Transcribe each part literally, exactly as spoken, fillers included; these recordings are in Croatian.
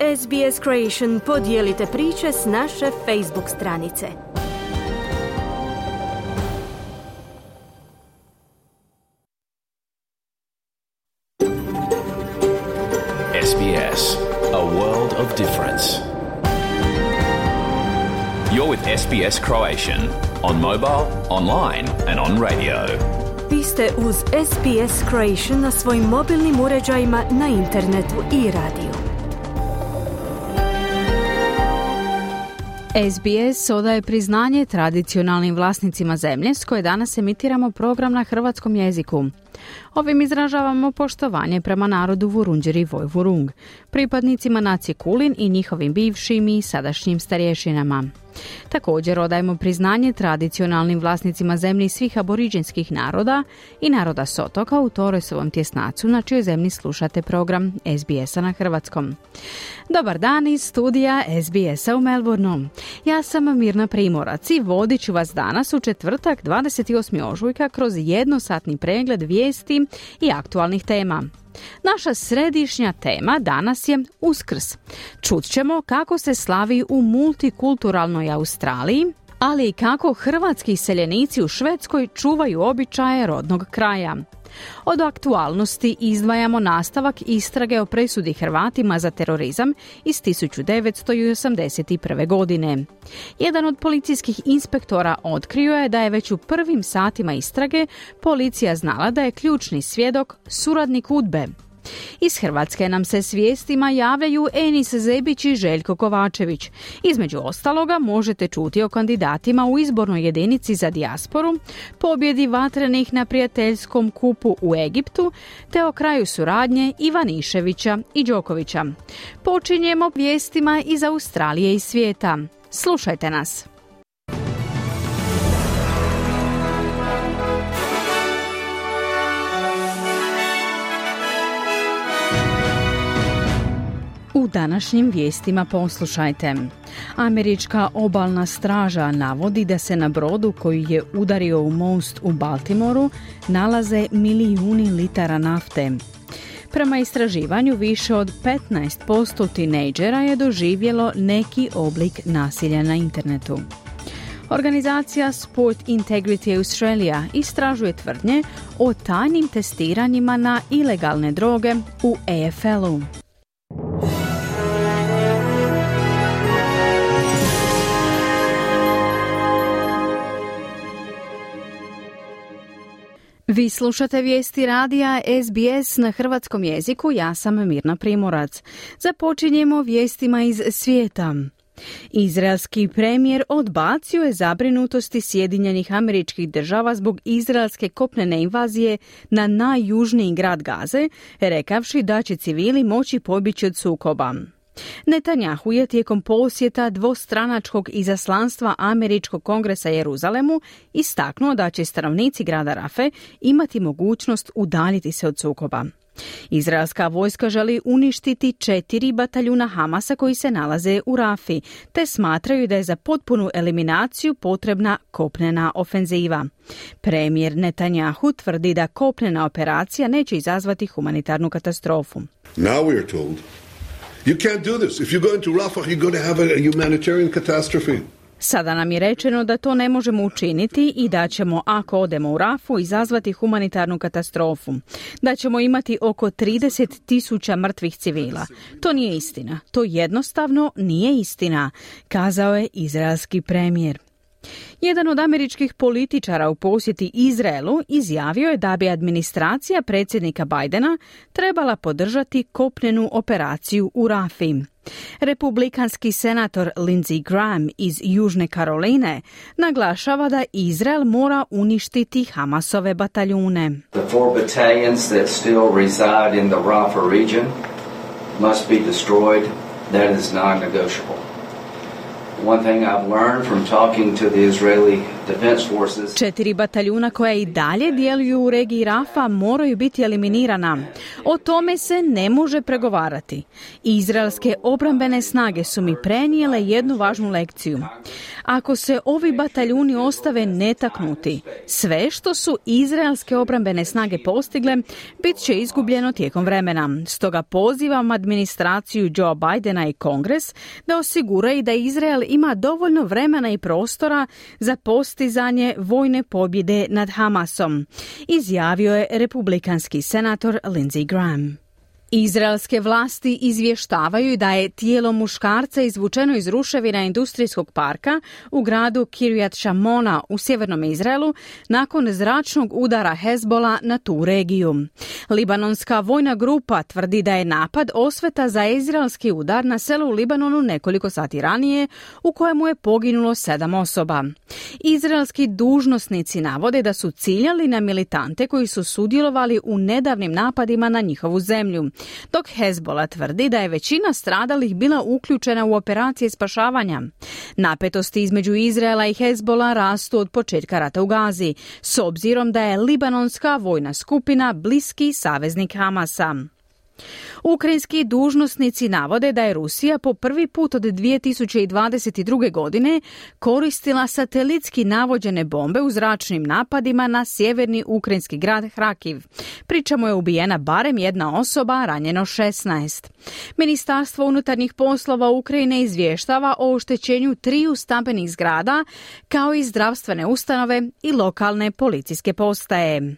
S B S Creation podijelite priče s naše Facebook stranice. S B S, a world of difference. You're with S B S Croatian on mobile, online and on radio. Vi ste uz S B S Croatian na svojim mobilnim uređajima, na internetu i radiju. S B S odaje priznanje tradicionalnim vlasnicima zemlje s koje danas emitiramo program na hrvatskom jeziku. Ovim izražavamo poštovanje prema narodu Vurundjeri i Vojvurung, pripadnicima nacije Kulin i njihovim bivšim i sadašnjim starješinama. Također odajemo priznanje tradicionalnim vlasnicima zemlji svih aboriđinskih naroda i naroda s otoka u Torresovom tjesnacu, na čijoj zemlji slušate program S B S-a na hrvatskom. Dobar dan iz studija S B S-a u Melbourneu. Ja sam Mirna Primorac i vodit ću vas danas u četvrtak dvadeset osmog ožujka kroz jednosatni pregled vijesti i aktualnih tema. Naša središnja tema danas je Uskrs. Čut ćemo kako se slavi u multikulturalnoj Australiji, ali i kako hrvatski iseljenici u Švedskoj čuvaju običaje rodnog kraja. Od aktualnosti izdvajamo nastavak istrage o presudi Hrvatima za terorizam iz tisuću devetsto osamdeset prve. godine. Jedan od policijskih inspektora otkrio je da je već u prvim satima istrage policija znala da je ključni svjedok suradnik UDBE. Iz Hrvatske nam se s vijestima javljaju Enis Zebić i Željko Kovačević. Između ostaloga možete čuti o kandidatima u izbornoj jedinici za dijasporu, pobjedi vatrenih na prijateljskom kupu u Egiptu, te o kraju suradnje Ivaniševića i Đokovića. Počinjemo vijestima iz Australije i svijeta. Slušajte nas. U današnjim vijestima poslušajte. Američka obalna straža navodi da se na brodu koji je udario u most u Baltimoru nalaze milijuni litara nafte. Prema istraživanju, više od petnaest posto tinejdžera je doživjelo neki oblik nasilja na internetu. Organizacija Sport Integrity Australia istražuje tvrdnje o tajnim testiranjima na ilegalne droge u A F L-u. Vi slušate vijesti radija S B S na hrvatskom jeziku, ja sam Mirna Primorac. Započinjemo vijestima iz svijeta. Izraelski premijer odbacio je zabrinutosti Sjedinjenih Američkih Država zbog izraelske kopnene invazije na najjužniji grad Gaze, rekavši da će civili moći pobjeći od sukoba. Netanjahu je tijekom posjeta dvostranačkog izaslanstva Američkog kongresa Jeruzalemu istaknuo da će stanovnici grada Rafe imati mogućnost udaljiti se od sukoba. Izraelska vojska želi uništiti četiri bataljuna Hamasa koji se nalaze u Rafi, te smatraju da je za potpunu eliminaciju potrebna kopnena ofenziva. Premijer Netanjahu tvrdi da kopnena operacija neće izazvati humanitarnu katastrofu. Now we are told you can't do this. If you go into Rafah, you're going to have a humanitarian catastrophe. Sada nam je rečeno da to ne možemo učiniti i da ćemo, ako odemo u Rafu, izazvati humanitarnu katastrofu. Da ćemo imati oko trideset tisuća mrtvih civila. To nije istina. To jednostavno nije istina, kazao je izraelski premijer. Jedan od američkih političara u posjeti Izraelu izjavio je da bi administracija predsjednika Bidena trebala podržati kopnenu operaciju u Rafi. Republikanski senator Lindsey Graham iz Južne Karoline naglašava da Izrael mora uništiti Hamasove bataljune. The four battalions that still reside in the Rafah region must be destroyed. That is non-negotiable. One thing I've learned from talking to the Israeli Defense forces. Četiri bataljuna koja i dalje djeluju u regiji Rafa moraju biti eliminirana. O tome se ne može pregovarati. Izraelske obrambene snage su mi prenijele jednu važnu lekciju. Ako se ovi bataljuni ostave netaknuti, sve što su izraelske obrambene snage postigle bit će izgubljeno tijekom vremena. Stoga pozivam administraciju Joe Bidena i Kongres da osiguraju da Izrael ima dovoljno vremena i prostora za postizanje vojne pobjede nad Hamasom, izjavio je republikanski senator Lindsey Graham. Izraelske vlasti izvještavaju da je tijelo muškarca izvučeno iz ruševina industrijskog parka u gradu Kiryat Shmona u sjevernom Izraelu nakon zračnog udara Hezbola na tu regiju. Libanonska vojna grupa tvrdi da je napad osveta za izraelski udar na selo u Libanonu nekoliko sati ranije u kojemu je poginulo sedam osoba. Izraelski dužnosnici navode da su ciljali na militante koji su sudjelovali u nedavnim napadima na njihovu zemlju, dok Hezbola tvrdi da je većina stradalih bila uključena u operacije spašavanja. Napetosti između Izraela i Hezbola rastu od početka rata u Gazi, s obzirom da je libanonska vojna skupina bliski saveznik Hamasa. Ukrajinski dužnosnici navode da je Rusija po prvi put od dvije tisuće dvadeset druge. godine koristila satelitski navođene bombe u zračnim napadima na sjeverni ukrajinski grad Hrakiv. Pri čemu je ubijena barem jedna osoba, a ranjeno šesnaest. Ministarstvo unutarnjih poslova Ukrajine izvještava o oštećenju triju stambenih zgrada, kao i zdravstvene ustanove i lokalne policijske postaje.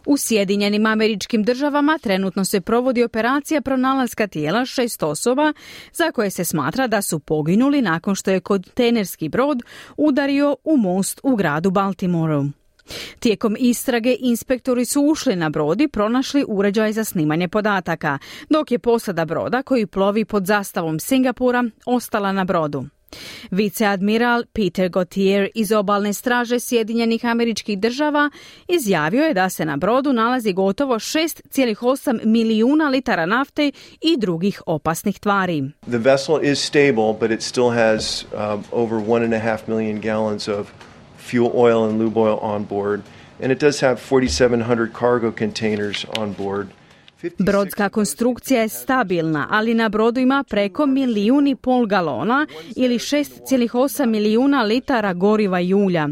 U Sjedinjenim Američkim Državama trenutno se provodi operacija pronalaska tijela šest osoba za koje se smatra da su poginuli nakon što je kontejnerski brod udario u most u gradu Baltimoru. Tijekom istrage inspektori su ušli na brod i pronašli uređaj za snimanje podataka, dok je posada broda koji plovi pod zastavom Singapura ostala na brodu. Viceadmiral Peter Gauthier iz obalne straže Sjedinjenih Američkih Država izjavio je da se na brodu nalazi gotovo šest zarez osam milijuna litara nafte i drugih opasnih tvari. The vessel is stable, but it still has um, over one and a half million gallons of fuel oil and lube oil on board, and it does have forty-seven hundred cargo containers on board. Brodska konstrukcija je stabilna, ali na brodu ima preko milijun i pol galona ili šest zarez osam milijuna litara goriva i ulja.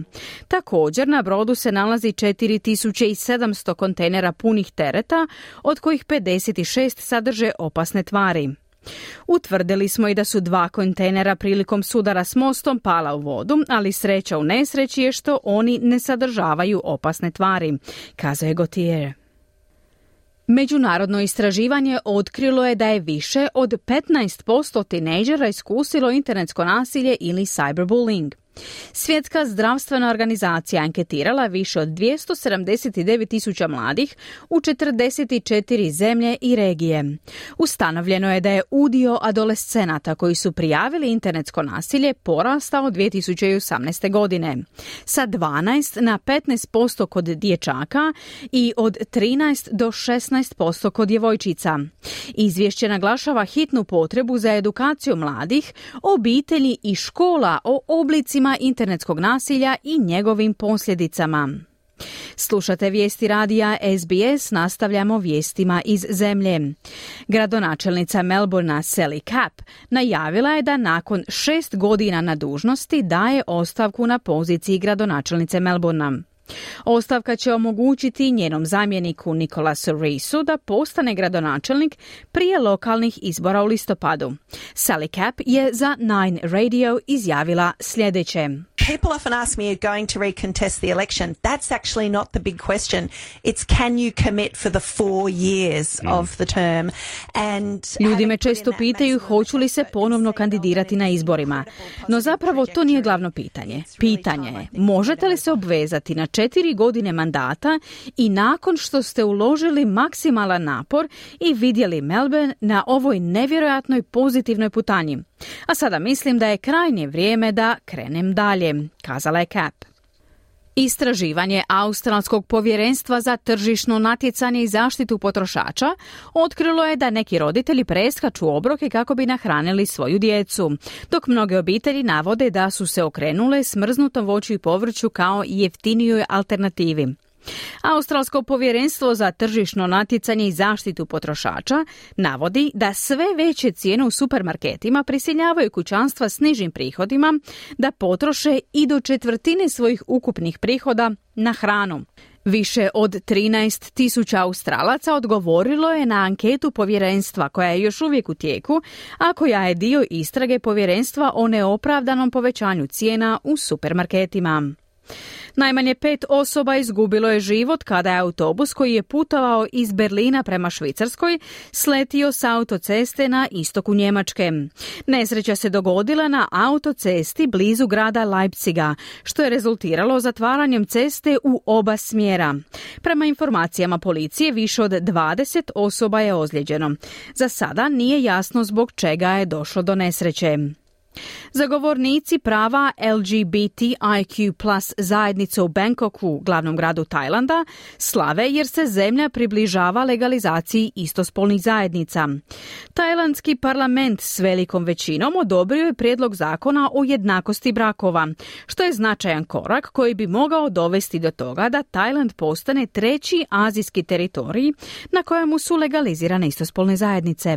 Također na brodu se nalazi četiri tisuće sedamsto kontejnera punih tereta, od kojih pedeset šest sadrže opasne tvari. Utvrdili smo i da su dva kontejnera prilikom sudara s mostom pala u vodu, ali sreća u nesreći je što oni ne sadržavaju opasne tvari, kazao je Gauthier. Međunarodno istraživanje otkrilo je da je više od petnaest posto tinejdžera iskusilo internetsko nasilje ili cyberbullying. Svjetska zdravstvena organizacija anketirala više od dvjesto sedamdeset devet tisuća mladih u četrdeset četiri zemlje i regije. Ustanovljeno je da je udio adolescenata koji su prijavili internetsko nasilje porastao dvije tisuće osamnaeste. godine. Sa dvanaest na petnaest posto kod dječaka i od trinaest do šesnaest posto kod djevojčica. Izvješće naglašava hitnu potrebu za edukaciju mladih, obitelji i škola o oblicima internetskog nasilja i njegovim posljedicama. Slušate vijesti radija S B S, nastavljamo vijestima iz zemlje. Gradonačelnica Melbournea Sally Capp najavila je da nakon šest godina na dužnosti daje ostavku na poziciji gradonačelnice Melbournea. Ostavka će omogućiti njenom zamjeniku Nicolasu Reesu da postane gradonačelnik prije lokalnih izbora u listopadu. Sally Capp je za Nine Radio izjavila sljedeće. People often ask me, are going to recontest the election? That's actually not the big question. It's can you commit for the four years mm. of the term? And Ljudi me često pitaju hoću li se ponovno kandidirati na izborima. No zapravo to nije glavno pitanje. Pitanje je, možete li se obvezati na četiri godine mandata i nakon što ste uložili maksimalan napor i vidjeli Melbourne na ovoj nevjerojatnoj pozitivnoj putanji. A sada mislim da je krajnje vrijeme da krenem dalje, kazala je Capp. Istraživanje Australskog povjerenstva za tržišno natjecanje i zaštitu potrošača otkrilo je da neki roditelji preskaču obroke kako bi nahranili svoju djecu, dok mnoge obitelji navode da su se okrenule smrznutom voću i povrću kao jeftinijoj alternativi. Australsko povjerenstvo za tržišno natjecanje i zaštitu potrošača navodi da sve veće cijene u supermarketima prisiljavaju kućanstva s nižim prihodima da potroše i do četvrtine svojih ukupnih prihoda na hranu. Više od trinaest tisuća Australaca odgovorilo je na anketu povjerenstva koja je još uvijek u tijeku, a koja je dio istrage povjerenstva o neopravdanom povećanju cijena u supermarketima. Najmanje pet osoba izgubilo je život kada je autobus koji je putovao iz Berlina prema Švicarskoj sletio s autoceste na istoku Njemačke. Nesreća se dogodila na autocesti blizu grada Leipziga, što je rezultiralo zatvaranjem ceste u oba smjera. Prema informacijama policije, više od dvadeset osoba je ozlijeđeno. Za sada nije jasno zbog čega je došlo do nesreće. Zagovornici prava L G B T I Q plus zajednice u Bangkoku, glavnom gradu Tajlanda, slave jer se zemlja približava legalizaciji istospolnih zajednica. Tajlandski parlament s velikom većinom odobrio je prijedlog zakona o jednakosti brakova, što je značajan korak koji bi mogao dovesti do toga da Tajland postane treći azijski teritorij na kojemu su legalizirane istospolne zajednice.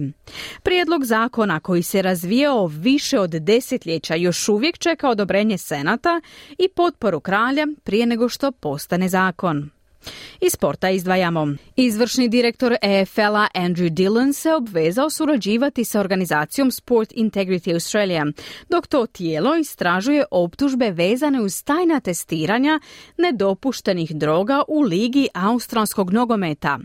Prijedlog zakona koji se razvijao više od desetljeća još uvijek čeka odobrenje Senata i potporu kralja prije nego što postane zakon. Iz sporta izdvajamo. Izvršni direktor E F L-a Andrew Dillon se obvezao surađivati sa organizacijom Sport Integrity Australia, dok to tijelo istražuje optužbe vezane uz tajna testiranja nedopuštenih droga u ligi australskog nogometa.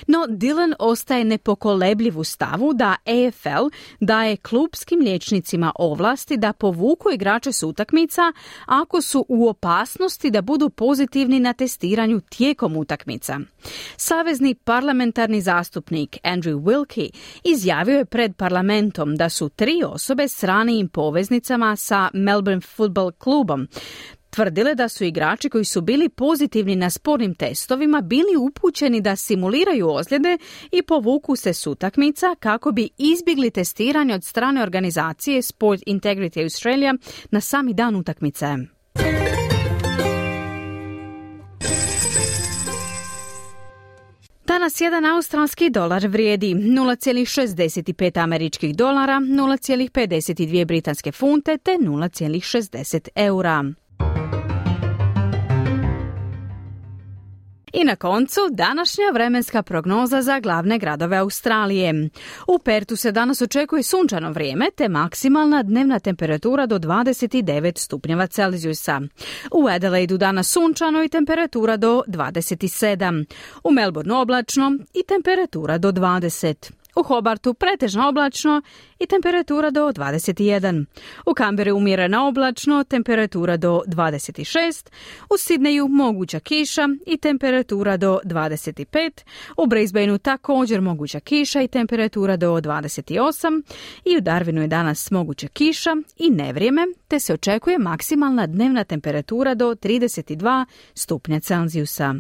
No Dillon ostaje nepokolebljiv u stavu da E F L daje klupskim liječnicima ovlasti da povuku igrače s utakmica ako su u opasnosti da budu pozitivni na testiranju tijekom utakmica. Savezni parlamentarni zastupnik Andrew Wilkie izjavio je pred parlamentom da su tri osobe s ranijim poveznicama sa Melbourne Football klubom tvrdile da su igrači koji su bili pozitivni na spornim testovima bili upućeni da simuliraju ozljede i povuku se s utakmica kako bi izbjegli testiranje od strane organizacije Sport Integrity Australia na sami dan utakmice. Danas jedan australski dolar vrijedi nula zarez šezdeset pet američkih dolara, nula zarez pedeset dvije britanske funte te nula zarez šezdeset eura. I na koncu današnja vremenska prognoza za glavne gradove Australije. U Pertu se danas očekuje sunčano vrijeme te maksimalna dnevna temperatura do dvadeset devet stupnjeva Celzijusa. U Adelaidu danas sunčano i temperatura do dvadeset sedam. U Melbourneu oblačno i temperatura do dvadeset. U Hobartu pretežno oblačno i temperatura do dvadeset jedan. U Canberri umjereno oblačno, temperatura do dvadeset šest. U Sidneju moguća kiša i temperatura do dvadeset pet. U Brisbaneu također moguća kiša i temperatura do dvadeset osam. I u Darwinu je danas moguća kiša i nevrijeme, te se očekuje maksimalna dnevna temperatura do trideset dva stupnja Celzijusa.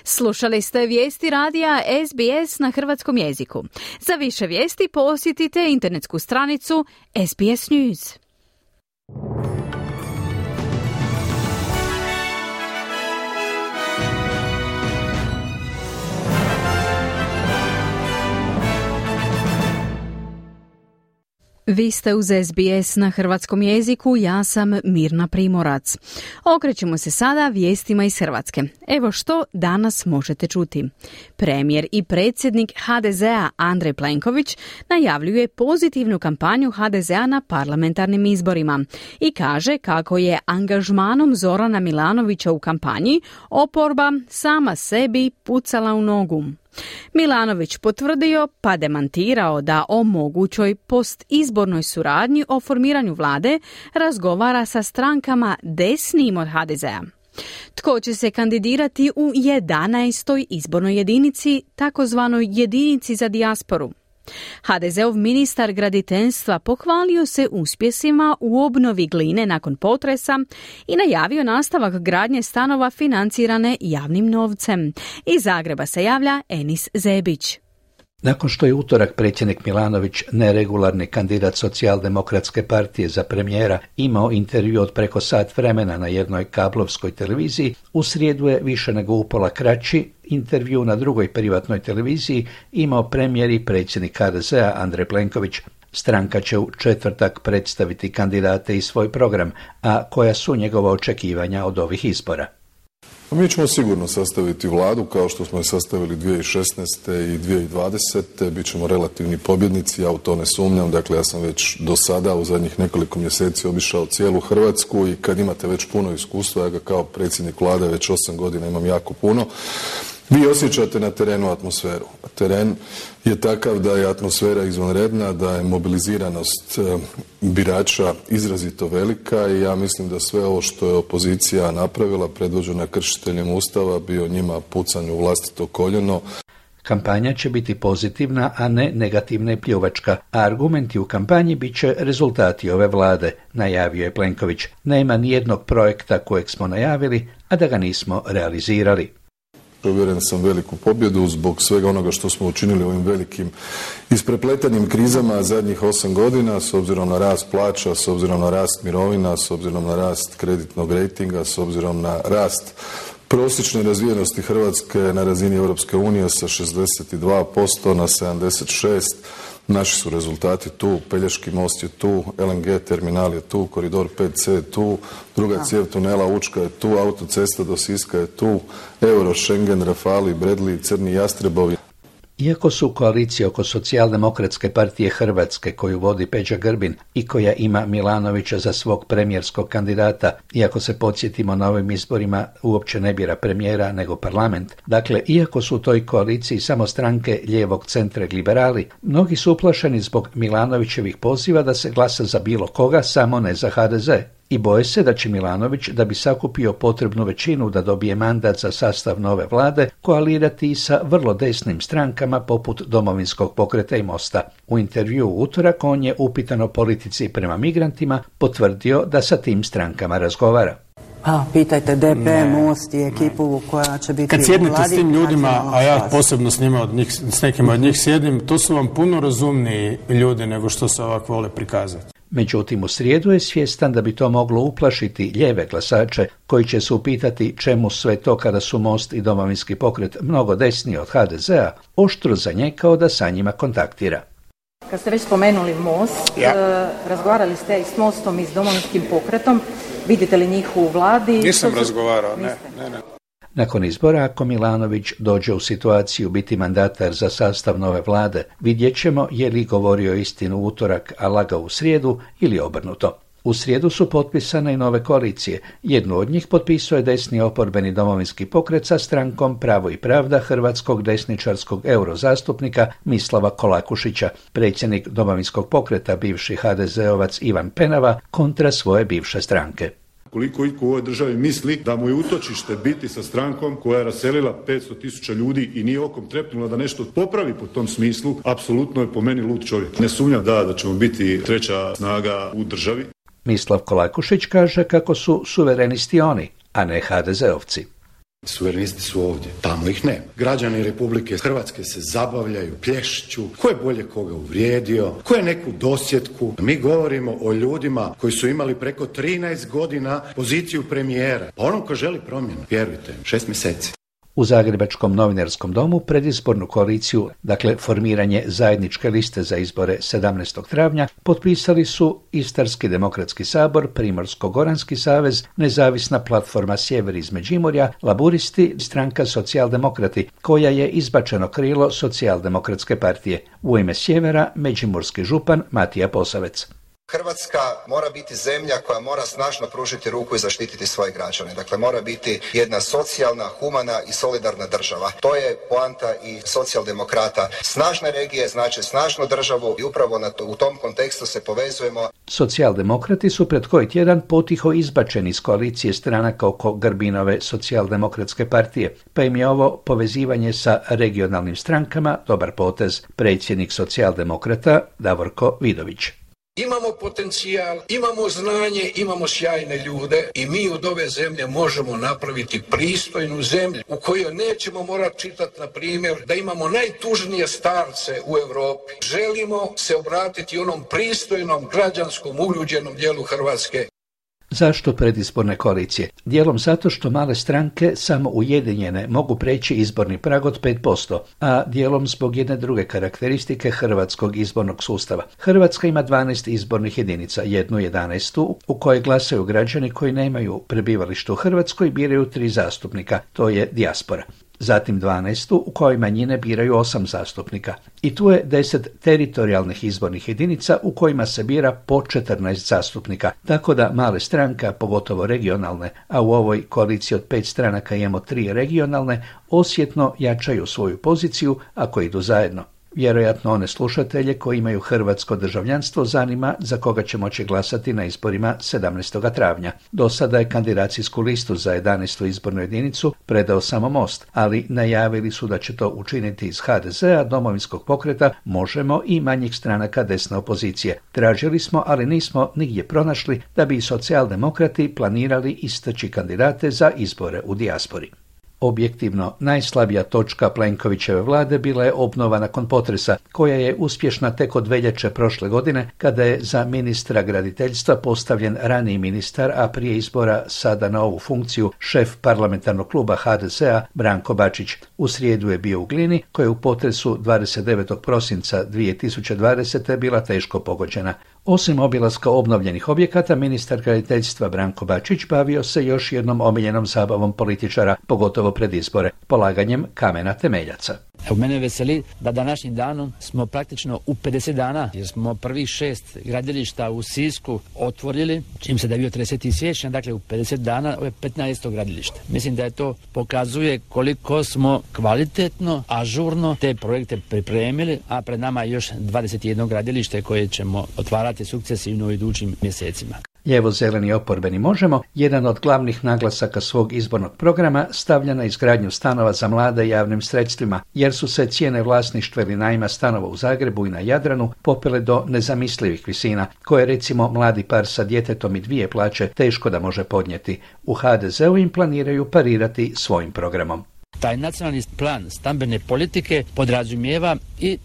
Slušali ste vijesti radija S B S na hrvatskom jeziku. Za više vijesti posjetite internetsku stranicu S B S News. Vi ste uz S B S na hrvatskom jeziku, ja sam Mirna Primorac. Okrećemo se sada vijestima iz Hrvatske. Evo što danas možete čuti. Premijer i predsjednik H D Z-a Andrej Plenković najavljuje pozitivnu kampanju H D Z-a na parlamentarnim izborima i kaže kako je angažmanom Zorana Milanovića u kampanji oporba sama sebi pucala u nogu. Milanović potvrdio pa demantirao da o mogućoj postizbornoj suradnji o formiranju vlade razgovara sa strankama desnijim od H D Z-a. Tko će se kandidirati u jedanaestoj izbornoj jedinici, takozvanoj jedinici za dijasporu? ha de zeov ministar graditeljstva pohvalio se uspjesima u obnovi Gline nakon potresa i najavio nastavak gradnje stanova financirane javnim novcem. Iz Zagreba se javlja Enis Zebić. Nakon što je utorak predsjednik Milanović, neregularni kandidat Socijaldemokratske partije za premijera, imao intervju od preko sat vremena na jednoj kablovskoj televiziji, u srijedu je više nego upola kraći intervju na drugoj privatnoj televiziji imao premijer i predsjednik ha de zea Andrej Plenković. Stranka će u četvrtak predstaviti kandidate i svoj program, a koja su njegova očekivanja od ovih izbora. Mi ćemo sigurno sastaviti vladu kao što smo je sastavili dvije tisuće šesnaeste. i dvije tisuće dvadesete. Bićemo relativni pobjednici, ja u to ne sumnjam. Dakle, ja sam već do sada u zadnjih nekoliko mjeseci obišao cijelu Hrvatsku i kad imate već puno iskustva, ja ga kao predsjednik vlade već osam godina imam jako puno, vi osjećate na terenu atmosferu. Teren je takav da je atmosfera izvanredna, da je mobiliziranost birača izrazito velika i ja mislim da sve ovo što je opozicija napravila, predvođena kršiteljem Ustava, bio njima pucanj u vlastito koljeno. Kampanja će biti pozitivna, a ne negativna i pljuvačka, a argumenti u kampanji bit će rezultati ove vlade, najavio je Plenković. Nema nijednog projekta kojeg smo najavili, a da ga nismo realizirali. Uvjeren sam veliku pobjedu zbog svega onoga što smo učinili ovim velikim isprepletanim krizama zadnjih osam godina, s obzirom na rast plaća, s obzirom na rast mirovina, s obzirom na rast kreditnog rejtinga, s obzirom na rast prosječne razvijenosti Hrvatske na razini Europske unije sa šezdeset dva posto na sedamdeset šest posto. Naši su rezultati tu, Pelješki most je tu, el en ge terminal je tu, koridor pet ce je tu, druga cijev tunela Učka je tu, autocesta do Siska je tu, Euro, Schengen, Rafali, Bradley, Crni jastrebovi. Iako su koalicije oko Socijaldemokratske partije Hrvatske, koju vodi Peđa Grbin i koja ima Milanovića za svog premijerskog kandidata, iako se podsjetimo na ovim izborima uopće ne bira premijera nego parlament, dakle, iako su u toj koaliciji samo stranke lijevog centra i liberali, mnogi su uplašeni zbog Milanovićevih poziva da se glasa za bilo koga, samo ne za ha de ze. I boje se da će Milanović, da bi sakupio potrebnu većinu da dobije mandat za sastav nove vlade, koalirati i sa vrlo desnim strankama poput Domovinskog pokreta i Mosta. U intervju u utorak on je upitan o politici prema migrantima potvrdio da sa tim strankama razgovara. A, pitajte de pe, Most i ekipu koja će biti kad sjednete s tim ljudima, a ja posebno s njima od njih, s nekima od njih sjedim, to su vam puno razumniji ljudi nego što se ovako vole prikazati. Međutim, u srijedu je svjestan da bi to moglo uplašiti lijeve glasače koji će se upitati čemu sve to kada su Most i Domovinski pokret mnogo desniji od ha de zea, oštro zanjekao da sa njima kontaktira. Kad ste već spomenuli Most, ja. e, razgovarali ste i s Mostom i s Domovinskim pokretom, vidite li njih u vladi? Nisam razgovarao, ne, ne, ne. Nakon izbora, ako Milanović dođe u situaciju biti mandatar za sastav nove vlade, vidjet ćemo je li govorio istinu u utorak, a lagao u srijedu ili obrnuto. U srijedu su potpisane i nove koalicije. Jednu od njih potpisao je desni oporbeni Domovinski pokret sa strankom Pravo i pravda hrvatskog desničarskog eurozastupnika Mislava Kolakušića. Predsjednik Domovinskog pokreta, bivši ha de zeovac Ivan Penava, kontra svoje bivše stranke. Koliko iko u ovoj državi misli da mu je utočište biti sa strankom koja je raselila petsto tisuća ljudi i nije okom trepnula da nešto popravi po tom smislu, apsolutno je po meni lud čovjek. Ne sumnjam da, da ćemo biti treća snaga u državi. Mislav Kolakušić kaže kako su suverenisti oni, a ne ha de zeovci. Suverenisti su ovdje, tamo ih nema. Građani Republike Hrvatske se zabavljaju, plješću, ko je bolje koga uvrijedio, ko je neku dosjetku. Mi govorimo o ljudima koji su imali preko trinaest godina poziciju premijera. Pa onom ko želi promjenu, vjerujte, šest mjeseci. U Zagrebačkom novinarskom domu predizbornu koaliciju, dakle formiranje zajedničke liste za izbore sedamnaestog travnja, potpisali su Istarski demokratski sabor, Primorsko-goranski savez, Nezavisna platforma Sjever iz Međimurja, Laburisti, stranka Socijaldemokrati, koja je izbačeno krilo Socijaldemokratske partije. U ime Sjevera, međimurski župan Matija Posavec. Hrvatska mora biti zemlja koja mora snažno pružiti ruku i zaštititi svoje građane. Dakle, mora biti jedna socijalna, humana i solidarna država. To je poanta i socijaldemokrata. Snažne regije znači snažnu državu i upravo na to, u tom kontekstu se povezujemo. Socijaldemokrati su pred koji tjedan potiho izbačeni iz koalicije stranaka oko Grbinove socijaldemokratske partije, pa im je ovo povezivanje sa regionalnim strankama dobar potez. Predsjednik socijaldemokrata Davorko Vidović. Imamo potencijal, imamo znanje, imamo sjajne ljude i mi od ove zemlje možemo napraviti pristojnu zemlju u kojoj nećemo morati čitati, na primjer, da imamo najtužnije starce u Europi. Želimo se obratiti onom pristojnom, građanskom, uljuđenom dijelu Hrvatske. Zašto predizborne koalicije? Dijelom zato što male stranke samo ujedinjene mogu preći izborni prag od pet posto, a dijelom zbog jedne druge karakteristike hrvatskog izbornog sustava. Hrvatska ima dvanaest izbornih jedinica, jednu jedanaestu u kojoj glasaju građani koji nemaju prebivalište u Hrvatskoj i biraju tri zastupnika, to je dijaspora. Zatim dvanaestu u kojoj manjine biraju osam zastupnika. I tu je deset teritorijalnih izbornih jedinica u kojima se bira po četrnaest zastupnika. Tako da male stranke, pogotovo regionalne, a u ovoj koaliciji od pet stranaka imamo tri regionalne, osjetno jačaju svoju poziciju ako idu zajedno. Vjerojatno one slušatelje koji imaju hrvatsko državljanstvo zanima za koga će moći glasati na izborima sedamnaestog travnja. Do sada je kandidacijsku listu za jedanaestu izbornu jedinicu predao samo Most, ali najavili su da će to učiniti iz ha de zea, Domovinskog pokreta, Možemo i manjih stranaka desne opozicije. Tražili smo, ali nismo nigdje pronašli da bi i socijaldemokrati planirali istaći kandidate za izbore u dijaspori. Objektivno, najslabija točka Plenkovićeve vlade bila je obnova nakon potresa, koja je uspješna tek od veljače prošle godine, kada je za ministra graditeljstva postavljen raniji ministar, a prije izbora sada na ovu funkciju šef parlamentarnog kluba ha de zea Branko Bačić. U srijedu je bio u Glini, koja je u potresu dvadeset devetog prosinca dvije tisuće dvadesete bila teško pogođena. Osim obilaska obnovljenih objekata, ministar graditeljstva Branko Bačić bavio se još jednom omiljenom zabavom političara, pogotovo pred izbore, polaganjem kamena temeljaca. Evo, mene veseli da današnjim danom smo praktično u pedeset dana, jer smo prvih šest gradilišta u Sisku otvorili, čim se da je bio trideseti siječnja, dakle u pedeset dana ovo je petnaesto gradilište. Mislim da je to pokazuje koliko smo kvalitetno, ažurno te projekte pripremili, a pred nama je još dvadeset jedno gradilište koje ćemo otvarati sukcesivno u idućim mjesecima. Lijevo-zeleni oporbeni Možemo, jedan od glavnih naglasaka svog izbornog programa stavlja na izgradnju stanova za mlade javnim sredstvima, jer su se cijene vlasništva ili najma stanova u Zagrebu i na Jadranu popele do nezamislivih visina, koje recimo mladi par sa djetetom i dvije plaće teško da može podnijeti. U ha de zeu im planiraju parirati svojim programom. Taj nacionalni plan stambene politike podrazumijeva i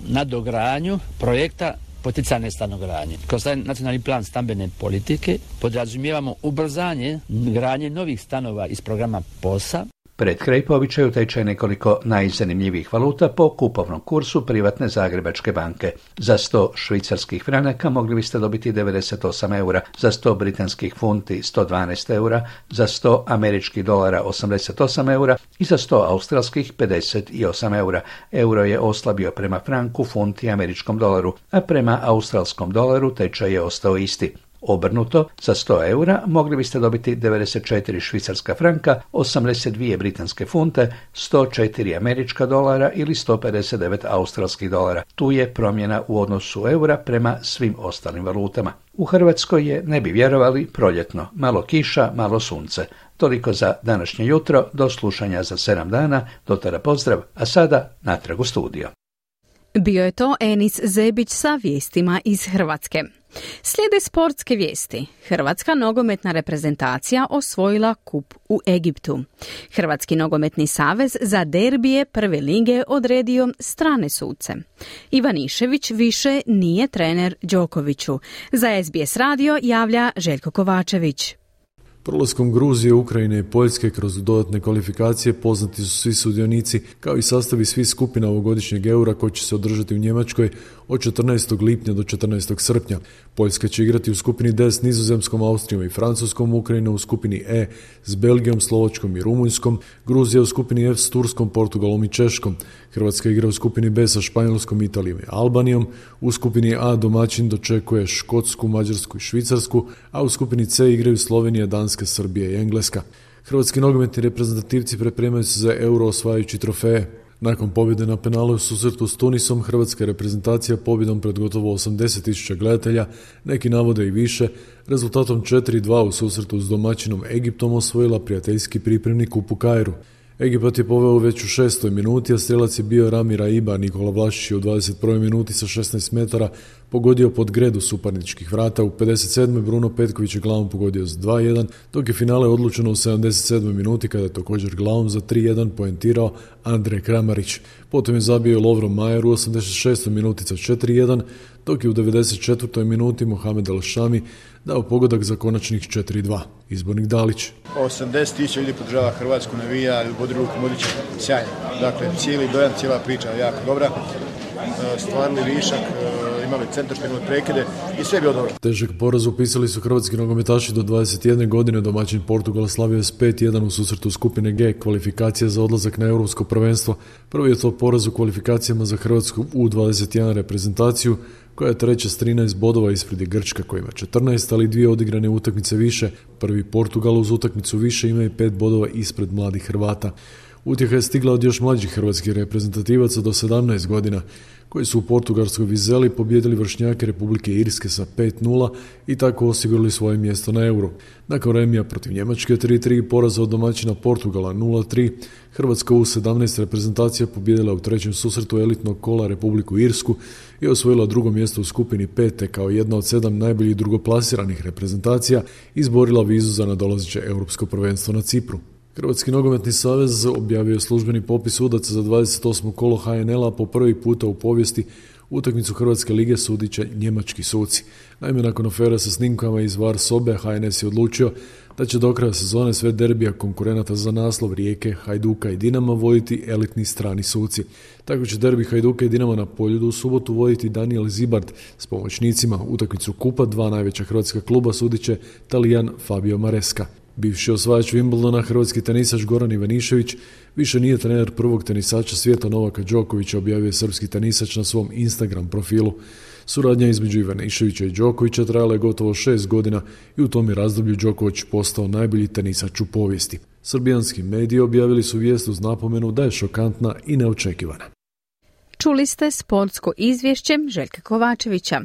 nadogradnju projekta poticajne stanogradnje. Kroz taj nacionalni plan stambene politike podrazumijevamo ubrzanje gradnje novih stanova iz programa POS-a. Pred kraj po običaju tečaj nekoliko najzanimljivijih valuta po kupovnom kursu privatne Zagrebačke banke. Za sto švicarskih franaka mogli biste dobiti devedeset osam eura, za sto britanskih funti sto dvanaest eura, za sto američkih dolara osamdeset osam eura i za sto australskih pedeset osam eura. Euro je oslabio prema franku, funti i američkom dolaru, a prema australskom dolaru tečaj je ostao isti. Obrnuto, za sto eura mogli biste dobiti devedeset četiri švicarska franka, osamdeset dvije britanske funte, sto četiri američka dolara ili sto pedeset devet australskih dolara. Tu je promjena u odnosu eura prema svim ostalim valutama. U Hrvatskoj je, ne bi vjerovali, proljetno. Malo kiša, malo sunce. Toliko za današnje jutro, do slušanja za sedam dana, do tada pozdrav, a sada natrag u studio. Bio je to Enis Zebić sa vijestima iz Hrvatske. Slijede sportske vijesti. Hrvatska nogometna reprezentacija osvojila kup u Egiptu. Hrvatski nogometni savez za derbije prve lige odredio strane suce. Ivanišević više nije trener Đokoviću. Za es be es radio javlja Željko Kovačević. Prolaskom Gruzije, Ukrajine i Poljske kroz dodatne kvalifikacije poznati su svi sudionici kao i sastavi svih skupina ovogodišnjeg eura koji će se održati u Njemačkoj od četrnaestog lipnja do četrnaestog srpnja. Poljska će igrati u skupini D s Nizozemskom, Austrijom i Francuskom, Ukrajina u skupini E s Belgijom, Slovačkom i Rumunjskom, Gruzija u skupini F s Turskom, Portugalom i Češkom. Hrvatska igra u skupini B sa Španjolskom, Italijom i Albanijom. U skupini A domaćin dočekuje Škotsku, Mađarsku i Švicarsku, a u skupini C igraju Slovenija, Danska, Srbija i Engleska. Hrvatski nogometni reprezentativci pripremaju se za Euro osvajajući trofeje. Nakon pobjede na penalu u susretu s Tunisom, hrvatska reprezentacija pobjedom pred gotovo osamdeset tisuća gledatelja, neki navode i više, rezultatom četiri dva u susretu s domaćinom Egiptom osvojila prijateljski pripremni kup u Kairu. Egipat je poveo već u šestoj minuti, a strelac je bio Rami Raiba. Nikola Vlašić je u dvadeset prvoj minuti sa šesnaest metara pogodio pod gredu suparničkih vrata. U pedeset sedmoj Bruno Petković je glavom pogodio za dva jedan, dok je finale odlučeno u sedamdeset sedmoj minuti kada je također glavom za tri jedan poentirao Andrej Kramarić. Potom je zabio Lovro Majer u osamdeset šestoj minuti za četiri jedan, dok je u devedeset četvrtoj minuti Mohamed El Shami dao pogodak za konačnih četiri dva. Izbornik Dalić. osamdeset tisuća ljudi podržava Hrvatsku, navija, bodi ruku Modrića, sjajno. Dakle, cijeli dojam, cijela priča je jako dobra. Stvarni višak, imali centarške, imali prekide i sve je bilo dobro. Težak poraz upisali su hrvatski nogometaši do dvadeset jedne godine. Domaćin Portugal slavio je s pet jedan u susretu skupine G, kvalifikacija za odlazak na europsko prvenstvo. Prvi je to poraz u kvalifikacijama za hrvatsku U dvadeset jedan reprezentaciju, koja je treća s trinaest bodova ispred je Grčka koja ima četrnaest, ali dvije odigrane utakmice više. Prvi Portugal uz utakmicu više ima i pet bodova ispred mladih Hrvata. Utjeha je stigla od još mlađih hrvatskih reprezentativaca do sedamnaest godina, koji su u portugalskoj Vizeli pobijedili vršnjake Republike Irske sa pet nula i tako osigurali svoje mjesto na Euro. Nakon remija protiv Njemačke tri tri i poraza od domaćina Portugala nula tri, Hrvatska U sedamnaest reprezentacija pobijedila u trećem susretu elitnog kola Republiku Irsku i osvojila drugo mjesto u skupini pet, te kao jedna od sedam najboljih drugoplasiranih reprezentacija izborila vizu za nadolazeće europsko prvenstvo na Cipru. Hrvatski nogometni savez objavio je službeni popis sudaca za dvadeset osmo kolo H N L-a. Po prvi puta u povijesti utakmicu Hrvatske lige sudit će njemački suci. Naime, nakon afere sa snimkama iz V A R sobe, H N S je odlučio da će do kraja sezone sve derbija konkurenata za naslov Rijeke, Hajduka i Dinama voditi elitni strani suci. Tako će derbi Hajduka i Dinama na Poljudu u subotu voditi Daniel Zibard s pomoćnicima. Utakmicu kupa dva najveća hrvatska kluba sudit će Talijan Fabio Maresca. Bivši osvajač Wimbledona, hrvatski tenisač Goran Ivanišević, više nije trener prvog tenisača svijeta Novaka Đokovića, objavio je srpski tenisač na svom Instagram profilu. Suradnja između Ivaniševića i Đokovića trajala je gotovo šest godina i u tom je razdoblju Đoković postao najbolji tenisač u povijesti. Srbijanski mediji objavili su vijest uz napomenu da je šokantna i neočekivana. Čuli ste sportsko izvješće Željka Kovačevića.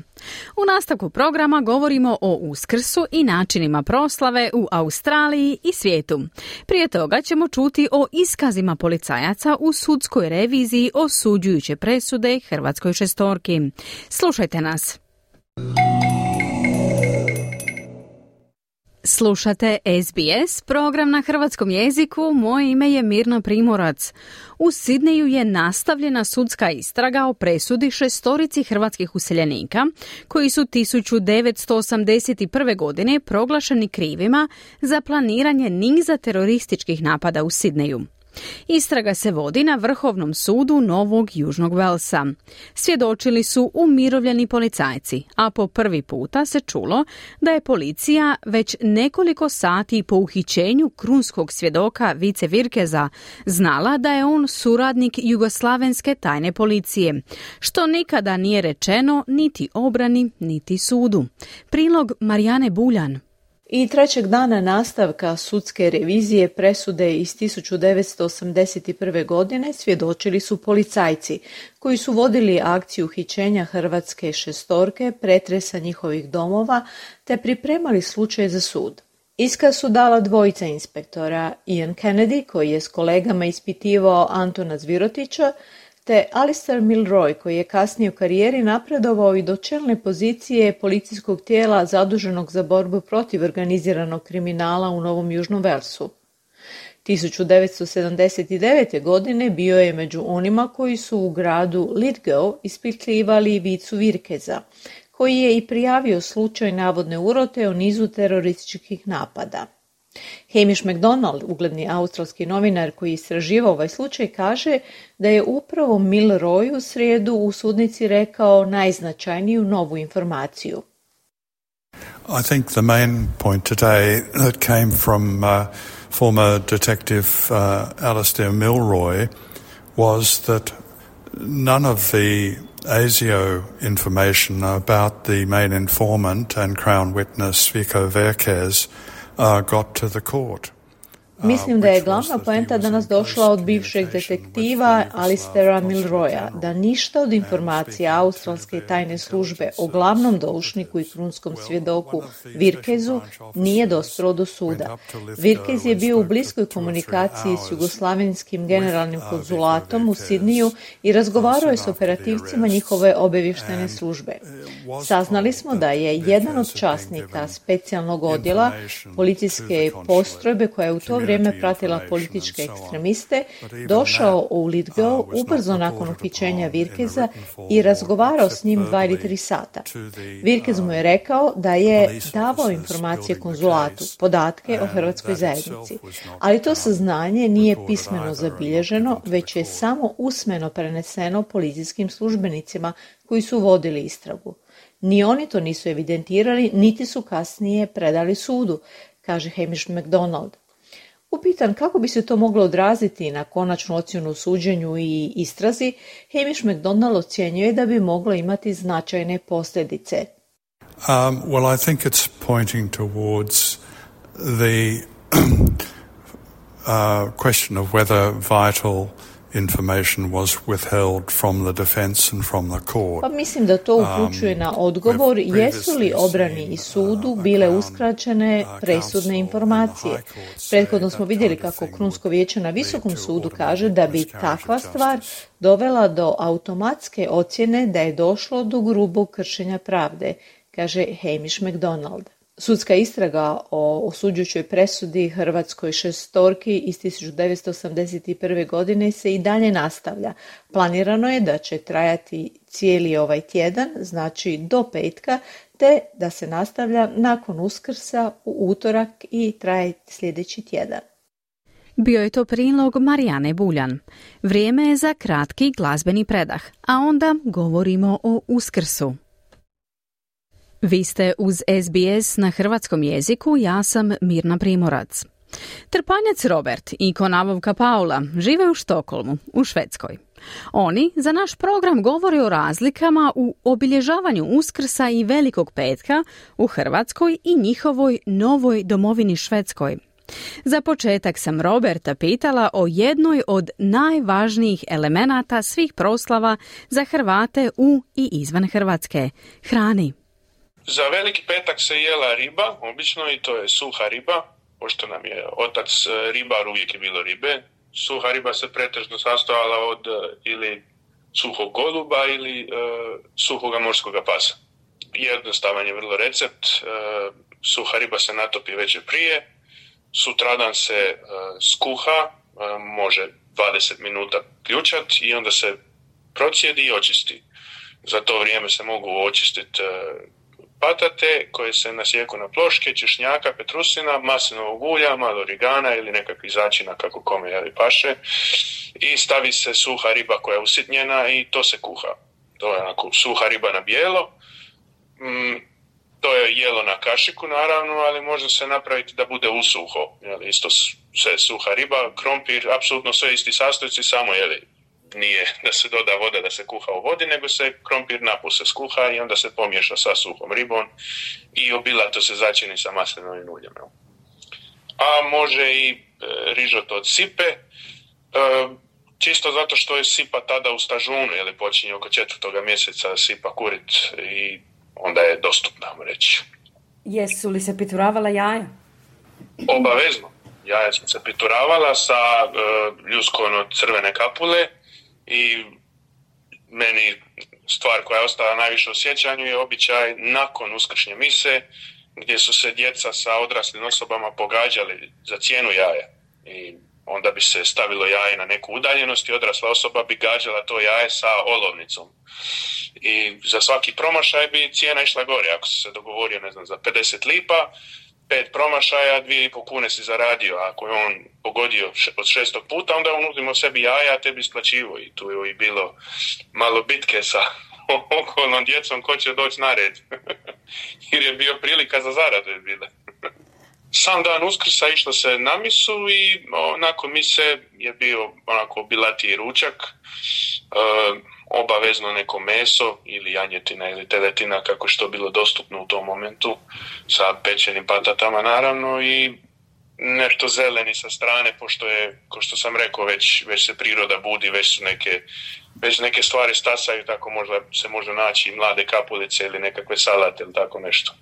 U nastavku programa govorimo o Uskrsu i načinima proslave u Australiji i svijetu. Prije toga ćemo čuti o iskazima policajaca u sudskoj reviziji osuđujuće presude hrvatskoj šestorki. Slušajte nas. Slušate S B S, program na hrvatskom jeziku. Moje ime je Mirna Primorac. U Sidneju je nastavljena sudska istraga o presudi šestorici hrvatskih useljenika koji su tisuću devetsto osamdeset prve. godine proglašeni krivima za planiranje niza terorističkih napada u Sidneju. Istraga se vodi na Vrhovnom sudu Novog Južnog Velsa. Svjedočili su umirovljeni policajci, a po prvi puta se čulo da je policija već nekoliko sati po uhićenju krunskog svjedoka Vice Virkeza znala da je on suradnik jugoslavenske tajne policije, što nikada nije rečeno niti obrani, niti sudu. Prilog Marijane Buljan. I trećeg dana nastavka sudske revizije presude iz tisuću devetsto osamdeset prve. godine svjedočili su policajci koji su vodili akciju uhićenja hrvatske šestorke, pretresa njihovih domova te pripremali slučaj za sud. Iskaz su dala dvojica inspektora, Ian Kennedy koji je s kolegama ispitivao Antona Zvirotića, te Alistair Milroy koji je kasnije u karijeri napredovao i do čelne pozicije policijskog tijela zaduženog za borbu protiv organiziranog kriminala u Novom Južnom Velsu. tisuću devetsto sedamdeset devete. godine bio je među onima koji su u gradu Lithgow ispitivali Vicu Virkeza, koji je i prijavio slučaj navodne urote o nizu terorističkih napada. Hamish McDonald, ugledni australski novinar koji istraživao ovaj slučaj, kaže da je upravo Milroy u srijedu u sudnici rekao najznačajniju novu informaciju. I think the main point today that came from uh, former detective uh, Alastair Milroy was that none of the A S I O information about the main informant and Crown witness Vico Verkes uh, got to the court. Mislim da je glavna poenta danas došla od bivšeg detektiva Alistera Milroya, da ništa od informacija australske tajne službe o glavnom doušniku i krunskom svjedoku Virkezu nije dospjelo do suda. Virkez je bio u bliskoj komunikaciji s jugoslavenskim generalnim konzulatom u Sidniju i razgovarao je s operativcima njihove obavještajne službe. Saznali smo da je jedan od časnika specijalnog odjela policijske postrojbe koja je u to vrijeme vrijeme pratila političke ekstremiste, došao u Lithgow ubrzo nakon uhićenja Virkeza i razgovarao s njim dva ili tri sata. Virkez mu je rekao da je davao informacije konzulatu, podatke o hrvatskoj zajednici, ali to saznanje nije pismeno zabilježeno, već je samo usmeno preneseno policijskim službenicima koji su vodili istragu. Ni oni to nisu evidentirali, niti su kasnije predali sudu, kaže Hamish McDonald. Upitan kako bi se to moglo odraziti na konačnu ocjenu u suđenju i istrazi, Hamish McDonald ocjenjuje da bi moglo imati značajne posljedice. Um, well, I think it's pointing towards the uh, question of whether vital information was withheld from the defense and from the court. Pa mislim da to upućuje na odgovor jesu li obrani i sudu bile uskraćene presudne informacije. Prethodno smo vidjeli kako Krunsko vijeće na Visokom sudu kaže da bi takva stvar dovela do automatske ocjene da je došlo do grubog kršenja pravde, kaže Hamish McDonald. Sudska istraga o osuđujućoj presudi hrvatskoj šestorki iz tisuću devetsto osamdeset prve. godine se i dalje nastavlja. Planirano je da će trajati cijeli ovaj tjedan, znači do petka, te da se nastavlja nakon Uskrsa u utorak i traje sljedeći tjedan. Bio je to prilog Marijane Buljan. Vrijeme je za kratki glazbeni predah, a onda govorimo o Uskrsu. Vi ste uz S B S na hrvatskom jeziku, ja sam Mirna Primorac. Trpanjac Robert i konavovka Paula žive u Štokholmu, u Švedskoj. Oni za naš program govore o razlikama u obilježavanju Uskrsa i Velikog petka u Hrvatskoj i njihovoj novoj domovini Švedskoj. Za početak sam Roberta pitala o jednoj od najvažnijih elemenata svih proslava za Hrvate u i izvan Hrvatske, hrani. Za Veliki petak se jela riba, obično, i to je suha riba, pošto nam je otac ribar, uvijek je bilo ribe. Suha riba se pretežno sastojala od ili suhog goluba ili e, suhoga morskoga pasa. Jednostavan je vrlo recept, e, suha riba se natopi večer prije, sutradan se e, skuha, e, može dvadeset minuta ključat i onda se procijedi i očisti. Za to vrijeme se mogu očistiti e, patate koje se nasjeku na ploške, češnjaka, petrusina, maslinovog ulja, malo origana ili nekakvih začina kako kome jeli paše i stavi se suha riba koja je usitnjena i to se kuha. To je onako suha riba na bijelo. Mm, to je jelo na kašiku naravno, ali može se napraviti da bude usuho. Jeli, isto sve suha riba, krompir, apsolutno sve isti sastojci, samo jeli. Nije da se doda voda da se kuha u vodi, nego se krompir napose skuha i onda se pomiješa sa suhom ribom i obilato se začini sa maslinovim uljem. A može i e, rižoto od sipe, e, čisto zato što je sipa tada u stažunu, jer počinje oko četvrtoga mjeseca sipa kurit i onda je dostupna, reći. Jesu li se pituravala jaja? Obavezno. Jaja su se pituravala sa e, ljuskon od crvene kapule. I meni stvar koja je ostala najviše u sjećanju je običaj nakon uskršnje mise gdje su se djeca sa odraslim osobama pogađali za cijenu jaja. I onda bi se stavilo jaje na neku udaljenost i odrasla osoba bi gađala to jaje sa olovnicom. I za svaki promašaj bi cijena išla gore. Ako se se dogovorio, ne znam, za pedeset lipa, pet promašaja, dvije i po kune si zaradio. Ako je on pogodio od šestog puta, onda on uzimo sebi jaja, a tebi isplaćivo. I tu je i bilo malo bitke sa okolnom djecom ko će doći na red. Jer je bio prilika za zaradu je bila. Sam dan Uskrsa išlo se na misu i o, nakon mise je bio onako obilatiji ručak, e, obavezno neko meso ili janjetina ili teletina kako što bilo dostupno u tom momentu sa pečenim patatama naravno i nešto zeleni sa strane pošto je, ko što sam rekao, već, već se priroda budi, već su neke, već neke stvari stasaju, tako možda se može naći mlade kapulice ili nekakve salate ili tako nešto.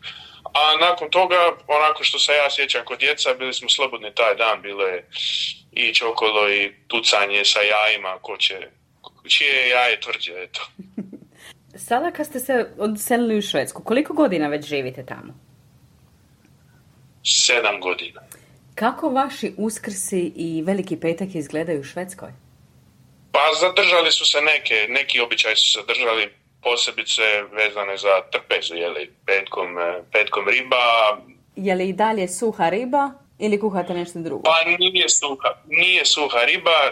A nakon toga, onako što se ja sjećam kod djeca, bili smo slobodni taj dan, bilo je ići okolo i tucanje sa jajima, ko će, čije je jaje tvrđe, eto. Sada kad ste se odselili u Švedsku, koliko godina već živite tamo? Sedam godina. Kako vaši Uskrsi i Veliki petak izgledaju u Švedskoj? Pa zadržali su se neke, neki običaji su se držali, posebice vezane za trpezu, jeli, petkom, petkom riba. Je li i dalje suha riba ili kuhate nešto drugo? Pa nije suha, nije suha riba.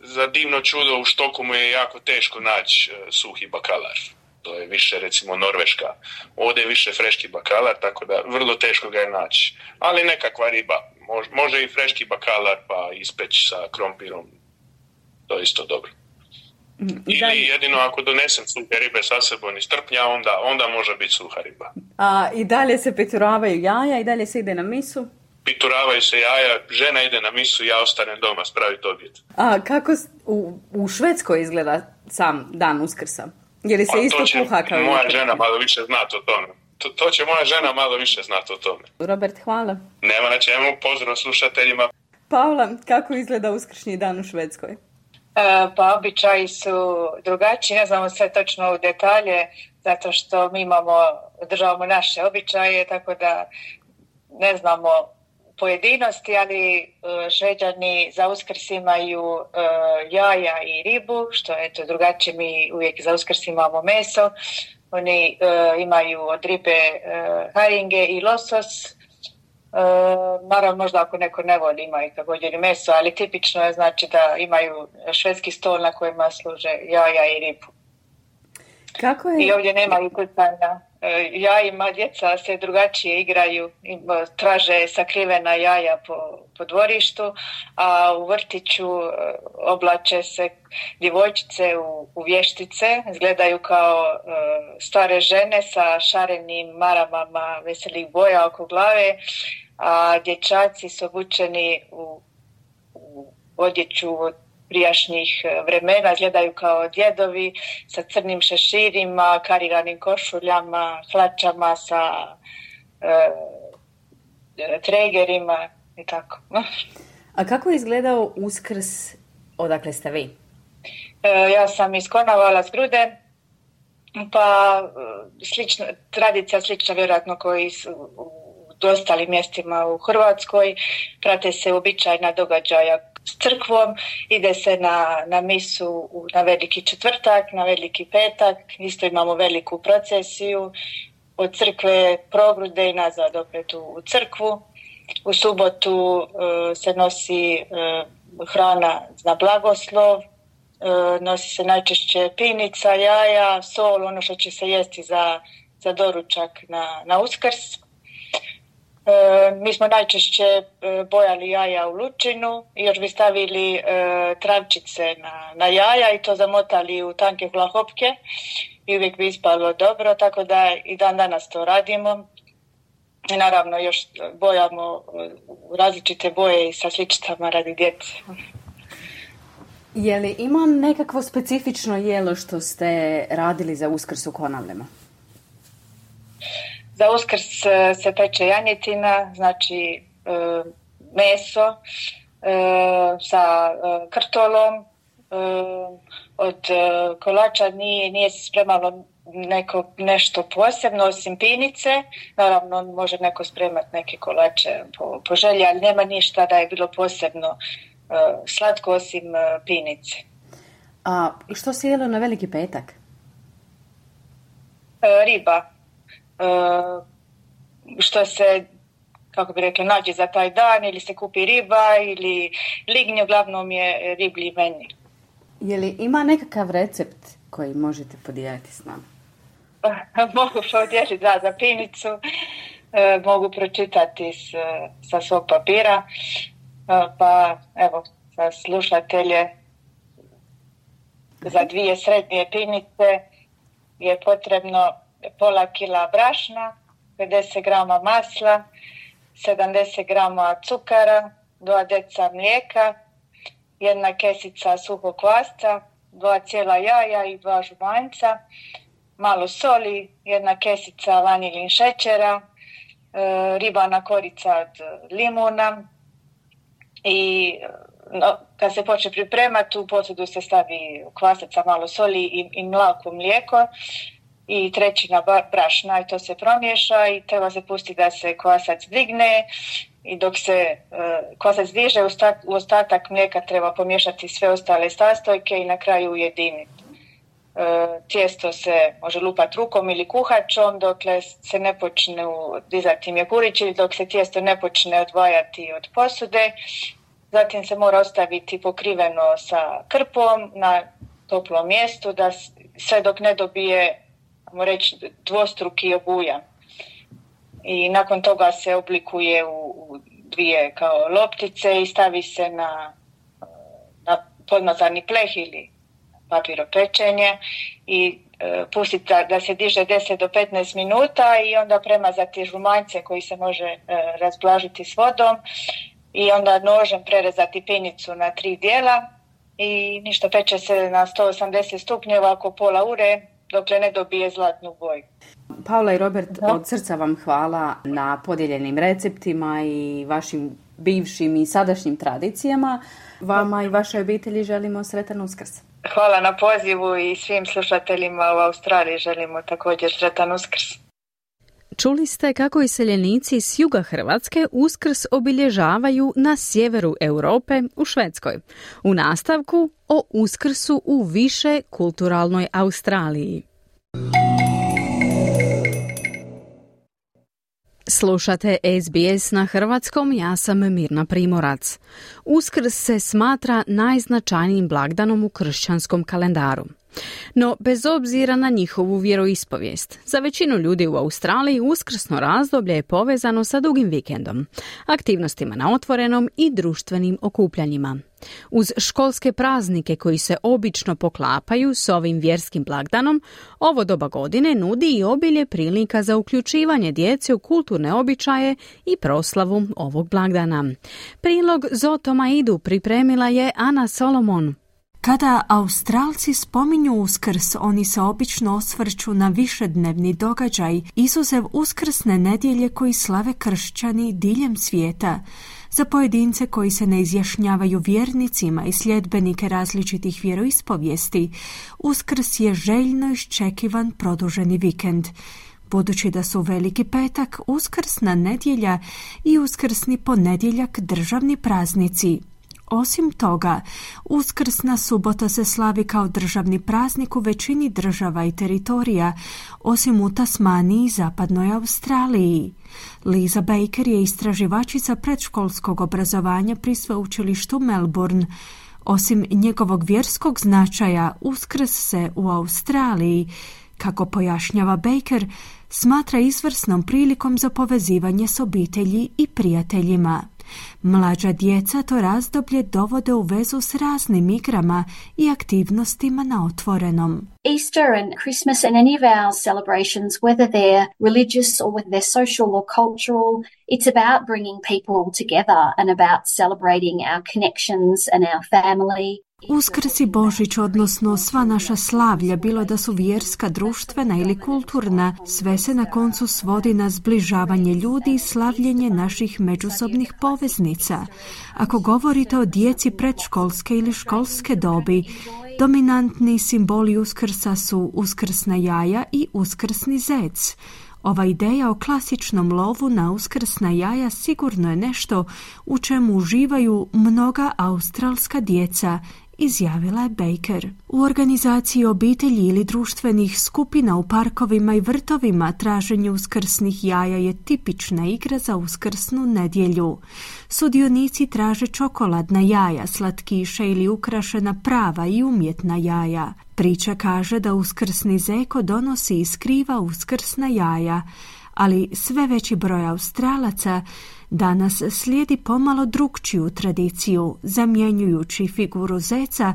Za divno čudo u Štokholmu je jako teško naći suhi bakalar. To je više recimo Norveška. Ovdje je više freški bakalar, tako da vrlo teško ga je naći. Ali nekakva riba. Može, može i freški bakalar pa ispeći sa krompirom. To je isto dobro. Ili dalje, jedino ako donesem suhe ribe sa sebom iz Trpnja, onda, onda može biti suha riba. A i dalje se pituravaju jaja i dalje se ide na misu? Pituravaju se jaja, žena ide na misu, ja ostanem doma spraviti objed. A kako u, u Švedskoj izgleda sam dan Uskrsa? Je li se pa isto kuha kao moja žena malo više znati o tome. To, to će moja žena malo više znati o tome. Robert, hvala. Nema na čemu, pozdrav slušateljima. Paula, kako izgleda uskršnji dan u Švedskoj? E, pa običaji su drugačiji, ne znamo sve točno u detalje, zato što mi imamo, državamo naše običaje, tako da ne znamo pojedinosti, ali Šveđani za Uskrs imaju uh, jaja i ribu, što je to drugačije, mi uvijek za Uskrs imamo meso. Oni uh, imaju od ribe uh, haringe i losos. Uh, naravno, možda ako neko ne voli, imaju također i meso, ali tipično je znači da imaju švedski stol na kojima služe jaja i ribu. Kako je? I ovdje nema ukrcanja jajima, djeca se drugačije igraju, traže sakrivena jaja po, po dvorištu, a u vrtiću oblače se djevojčice u, u vještice, izgledaju kao uh, stare žene sa šarenim maramama veselih boja oko glave, a dječaci su obučeni u, u odjeću od prijašnjih vremena, izgledaju kao djedovi sa crnim šeširima, kariranim košuljama, hlačama sa e, tregerima i tako. A kako je izgledao Uskrs, odakle ste vi? E, ja sam iz Konavala, s Grude, pa slična, tradicija slična vjerojatno koji su u ostalim mjestima u Hrvatskoj, prate se običajna događaja s crkvom, ide se na, na misu na Veliki četvrtak, na Veliki petak, isto imamo veliku procesiju od crkve Progrude i nazad opet u, u crkvu. U subotu uh, se nosi uh, hrana na blagoslov, uh, nosi se najčešće pinica, jaja, sol, ono što će se jesti za, za doručak na, na Uskrs. E, mi smo najčešće e, bojali jaja u lučinu i još bi stavili e, travčice na, na jaja i to zamotali u tanke hlahopke i uvijek bi ispalo dobro, tako da i dan danas to radimo. I naravno još bojamo u različite boje i sa sličicama radi djece. Je li ima nekakvo specifično jelo što ste radili za Uskrs u Konavlima? Za Uskrs se peče janjetina, znači e, meso e, sa e, krtolom. E, od e, kolača nije, nije se spremalo neko, nešto posebno osim pinice. Naravno može neko spremati neke kolače po, po želji, ali nema ništa da je bilo posebno e, slatko osim e, pinice. A što se jelo na Veliki petak? E, riba. Uh, što se kako bi rekla, nađe za taj dan, ili se kupi riba, ili lignje, uglavnom je riblji menü. Je li ima nekakav recept koji možete podijeliti s nama? Mogu podijeliti, da, za pinicu, e, mogu pročitati s, sa svog papira, e, pa evo, za slušatelje, za dvije srednje pinice je potrebno pola kila brašna, pedeset grama masla, sedamdeset grama cukara, dva deca mlijeka, jedna kesica suhog kvasca, dva cijela jaja i dva žumanjca, malo soli, jedna kesica vanilin šećera, e, ribana korica od limuna i no, kad se počne pripremati, u posudu se stavi kvasaca, malo soli i, i mlako mlijeko i trećina brašna i to se promiješa i treba se pustiti da se kvasac digne i dok se uh, kvasac diže u, stat, u ostatak mlijeka treba pomiješati sve ostale sastojke i na kraju ujediniti. Uh, tijesto se može lupati rukom ili kuhačom dokle se ne počne dizati mjehurići, dok se tijesto ne počne odvajati od posude. Zatim se mora ostaviti pokriveno sa krpom na toplom mjestu da sve dok ne dobije, ajmo reći, dvostruki obujam. I nakon toga se oblikuje u, u dvije kao loptice i stavi se na, na podmazani pleh ili papiropečenje i e, pustiti da, da se diže deset do petnaest minuta i onda premazati žumanjce koji se može e, razblažiti s vodom i onda nožem prerezati pinicu na tri dijela i ništa, peče se na sto osamdeset stupnjeva oko pola ure dokle ne dobije zlatnu boju. Paula i Robert, da. Od srca vam hvala na podijeljenim receptima i vašim bivšim i sadašnjim tradicijama. Vama i vašoj obitelji želimo sretan Uskrs. Hvala na pozivu i svim slušateljima u Australiji želimo također sretan Uskrs. Čuli ste kako iseljenici s juga Hrvatske Uskrs obilježavaju na sjeveru Europe u Švedskoj. U nastavku o Uskrsu u više kulturalnoj Australiji. Slušate S B S na hrvatskom, ja sam Mirna Primorac. Uskrs se smatra najznačajnijim blagdanom u kršćanskom kalendaru. No, bez obzira na njihovu vjeroispovijest, za većinu ljudi u Australiji uskrsno razdoblje je povezano sa dugim vikendom, aktivnostima na otvorenom i društvenim okupljanjima. Uz školske praznike koji se obično poklapaju s ovim vjerskim blagdanom, ovo doba godine nudi i obilje prilika za uključivanje djece u kulturne običaje i proslavu ovog blagdana. Prilog Zotoma Idu pripremila je Ana Solomon. Kada Australci spominju Uskrs, oni se obično osvrću na višednevni događaj, izuzev uskrsne nedjelje koji slave kršćani diljem svijeta. Za pojedince koji se ne izjašnjavaju vjernicima i sljedbenike različitih vjeroispovijesti, Uskrs je željno iščekivan produženi vikend. Budući da su Veliki petak, uskrsna nedjelja i uskrsni ponedjeljak državni praznici. Osim toga, uskrsna subota se slavi kao državni praznik u većini država i teritorija, osim u Tasmaniji i zapadnoj Australiji. Liza Baker je istraživačica predškolskog obrazovanja pri sveučilištu Melbourne. Osim njegovog vjerskog značaja, Uskrs se u Australiji, kako pojašnjava Baker, smatra izvrsnom prilikom za povezivanje s obitelji i prijateljima. Mlađa djeca to razdoblje dovode u vezu s raznim igrama i aktivnostima na otvorenom. Easter and Christmas and any of our celebrations, whether they're religious or whether they're social or cultural, it's about bringing people together and about celebrating our connections and our family. Uskrs i Božić, odnosno sva naša slavlja, bilo da su vjerska, društvena ili kulturna, sve se na koncu svodi na zbližavanje ljudi i slavljenje naših međusobnih poveznica. Ako govorite o djeci predškolske ili školske dobi, dominantni simboli Uskrsa su uskrsna jaja i uskrsni zec. Ova ideja o klasičnom lovu na uskrsna jaja sigurno je nešto u čemu uživaju mnoga australska djeca izjavila je Baker. U organizaciji obitelji ili društvenih skupina u parkovima i vrtovima traženje uskrsnih jaja je tipična igra za uskrsnu nedjelju. Sudionici traže čokoladna jaja, slatkiše ili ukrašena prava i umjetna jaja. Priča kaže da uskrsni zeko donosi i skriva uskrsna jaja, ali sve veći broj Australaca danas slijedi pomalo drukčiju tradiciju, zamjenjujući figuru zeca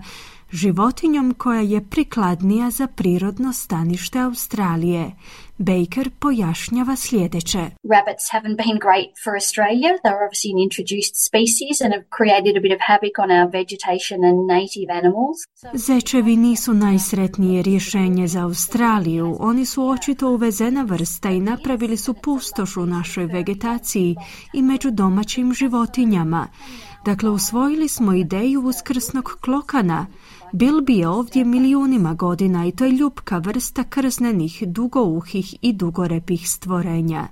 životinjom koja je prikladnija za prirodno stanište Australije. Baker pojašnjava sljedeće. Rabbits haven't been great for Australia. They're obviously an introduced species and have created a bit of havoc on our vegetation and native animals. Zečevi nisu najsretnije rješenje za Australiju. Oni su očito uvezena vrsta i napravili su pustoš u našoj vegetaciji i među domaćim životinjama. Dakle, usvojili smo ideju uskrsnog klokana. Bilbi je ovdje milijunima godina i to je ljupka vrsta krznenih, dugouhih i dugorepih stvorenja.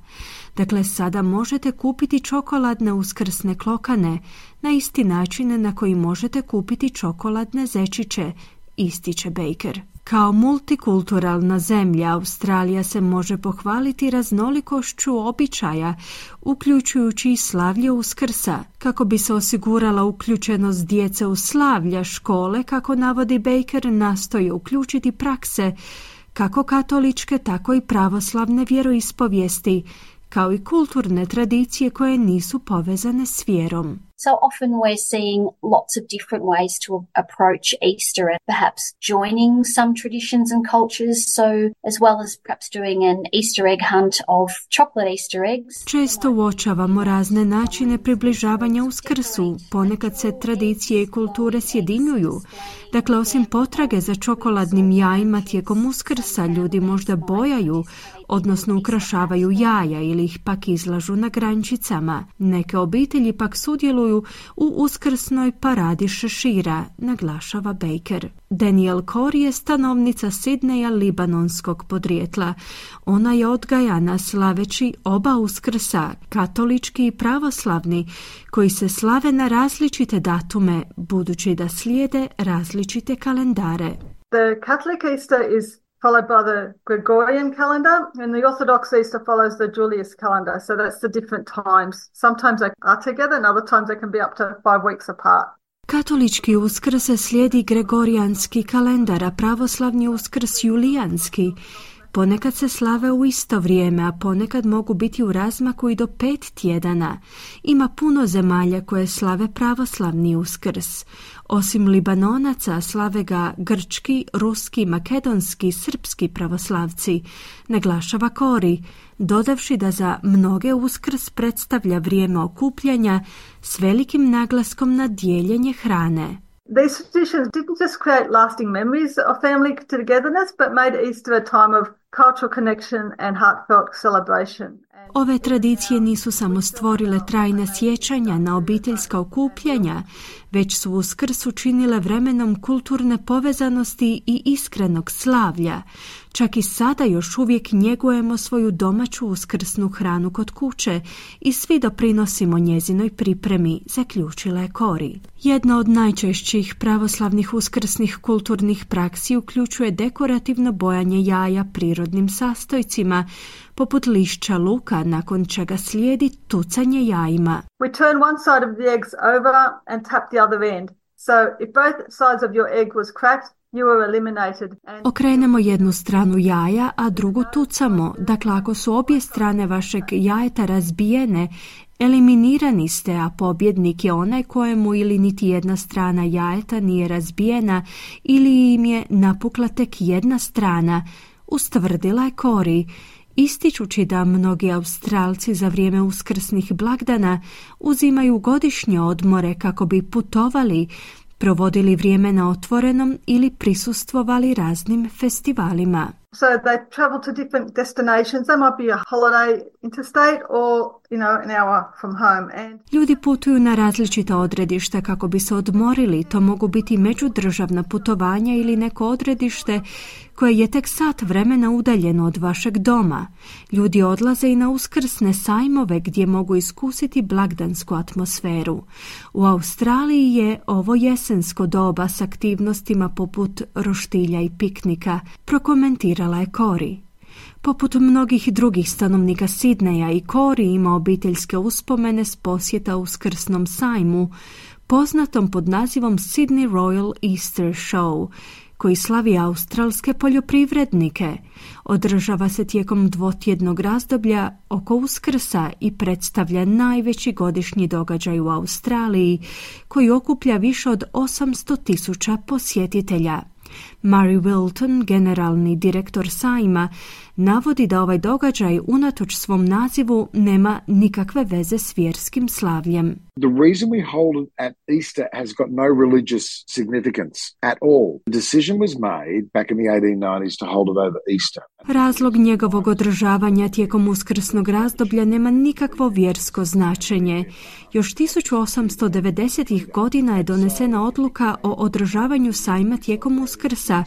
Dakle, sada možete kupiti čokoladne uskrsne klokane na isti način na koji možete kupiti čokoladne zečiće, ističe Baker. Kao multikulturalna zemlja, Australija se može pohvaliti raznolikošću običaja, uključujući i slavlje Uskrsa. Kako bi se osigurala uključenost djece u slavlja, škole, kako navodi Baker, nastoje uključiti prakse kako katoličke, tako i pravoslavne vjeroispovijesti, kao i kulturne tradicije koje nisu povezane s vjerom. So often we're seeing lots of different ways to approach Easter and perhaps joining some traditions and cultures, so as well as perhaps doing an Easter egg hunt of chocolate Easter eggs. Često uočavamo razne načine približavanja Uskrsu, ponekad se tradicije i kulture sjedinjuju. Dakle, osim potrage za čokoladnim jajima tijekom Uskrsa, ljudi možda bojaju, odnosno ukrašavaju jaja ili ih pak izlažu na grančicama. Neke obitelji pak sudjeluju u uskrsnoj paradi šešira, naglašava Baker. Danielle Corey je stanovnica Sidneja libanonskog podrijetla. Ona je odgajana slaveći oba Uskrsa, katolički i pravoslavni, koji se slave na različite datume, budući da slijede različite kalendare. The Catholic Easter is followed by the Gregorian calendar, and the Orthodox Easter follows the Julius calendar, so that's the different times. Sometimes they are together, and other times they can be up to five weeks apart. Katolički Uskrs slijedi Gregorijanski kalendar, a pravoslavni Uskrs Julijanski. Ponekad se slave u isto vrijeme, a ponekad mogu biti u razmaku i do pet tjedana. Ima puno zemalja koje slave pravoslavni Uskrs. Osim Libanonaca, slave ga grčki, ruski, makedonski, srpski pravoslavci, naglašava Corey, dodavši da za mnoge Uskrs predstavlja vrijeme okupljanja s velikim naglaskom na dijeljenje hrane. These traditions didn't just create lasting memories of family togetherness, but made Easter a time of cultural connection and heartfelt celebration. Ove tradicije nisu samo stvorile trajna sjećanja na obiteljska okupljanja, već su Uskrs učinile vremenom kulturne povezanosti i iskrenog slavlja. Čak i sada još uvijek njegujemo svoju domaću uskrsnu hranu kod kuće i svi doprinosimo njezinoj pripremi, zaključila je Corey. Jedna od najčešćih pravoslavnih uskrsnih kulturnih praksi uključuje dekorativno bojanje jaja prirodnim sastojcima, poput lišća luka, nakon čega slijedi tucanje jajima. We turn one side of the eggs over and tap the other end. So if both sides of your egg was cracked, you were eliminated. And... Okrenemo jednu stranu jaja, a drugu tucamo. Dakle, ako su obje strane vašeg jajeta razbijene, eliminirani ste, a pobjednik je onaj kojemu ili niti jedna strana jajeta nije razbijena ili im je napukla tek jedna strana, ustvrdila je Corey, ističući da mnogi Australci za vrijeme uskrsnih blagdana uzimaju godišnje odmore kako bi putovali, provodili vrijeme na otvorenom ili prisustvovali raznim festivalima. So they travel to different destinations. They might be a holiday interstate or, you know, an hour from home. And ljudi putuju na različita odredišta kako bi se odmorili. To mogu biti međudržavna putovanja ili neko odredište koje je tek sat vremena udaljeno od vašeg doma. Ljudi odlaze i na uskrsne sajmove gdje mogu iskusiti blagdansku atmosferu. U Australiji je ovo jesensko doba s aktivnostima poput roštilja i piknika, prokomentirala je Kori. Poput mnogih drugih stanovnika Sidneja, i Kori ima obiteljske uspomene s posjeta uskrsnom sajmu, poznatom pod nazivom Sydney Royal Easter Show, koji slavi australske poljoprivrednike. Održava se tijekom dvotjednog razdoblja oko Uskrsa i predstavlja najveći godišnji događaj u Australiji, koji okuplja više od osamsto tisuća posjetitelja. Murray Wilton, generalni direktor sajma, navodi da ovaj događaj unatoč svom nazivu nema nikakve veze s vjerskim slavljem. The reason we hold it at Easter has got no religious significance at all. The decision was made back in the eighteen nineties to hold it over Easter. Razlog njegovog održavanja tijekom uskrsnog razdoblja nema nikakvo vjersko značenje. Još tisuću osamsto devedesetih godina je donesena odluka o održavanju sajma tijekom Uskrsa,